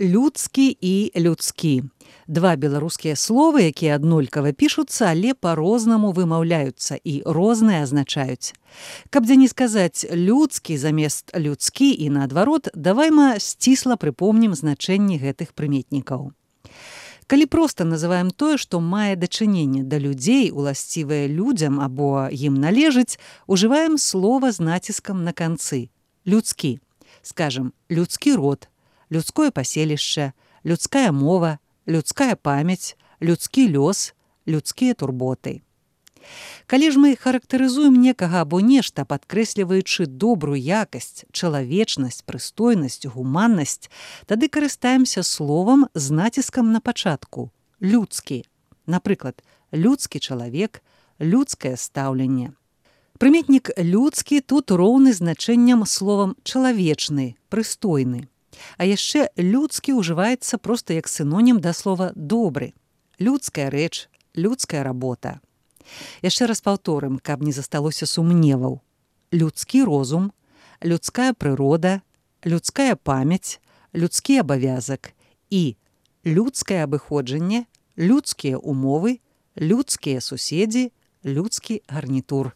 Людскі і людскі. Два беларускія словы, якія аднолькава пішуцца, але па-рознаму вымаўляюцца і розныя азначаюць. Каб дзе не сказаць людскі замест людскі і наадварот, давайма сцісла прыпомнім значэнні гэтых прыметнікаў. Калі проста называем тое, што мае дачыненне да людзей, уласцівае людзям або ім належыць, ужываем слова з націскам на канцы. Людскі. Скажам, людскі род, людское паселішча, людская мова, людская памяць, людскі лёс, людскія турботы. Калі ж мы характарызуем некага або нешта, падкрэсліваючы добрую якасць, чалавечнасць, прыстойнасць, гуманнасць, тады карыстаемся словам з націскам на пачатку – людскі. Напрыклад, людскі чалавек, людскае стаўленне. Прыметнік людскі тут роўны значэнням словам чалавечны, прыстойны. А яшчэ людскі ўжываецца проста як сінонім да слова добры. Людская рэч, людская работа. Яшчэ раз паўторым, каб не засталося сумневаў. Людскі розум, людская прырода, людская памяць, людскі абавязак і людскае абыходжанне, людскія умовы, людскія суседзі, людскі гарнітур.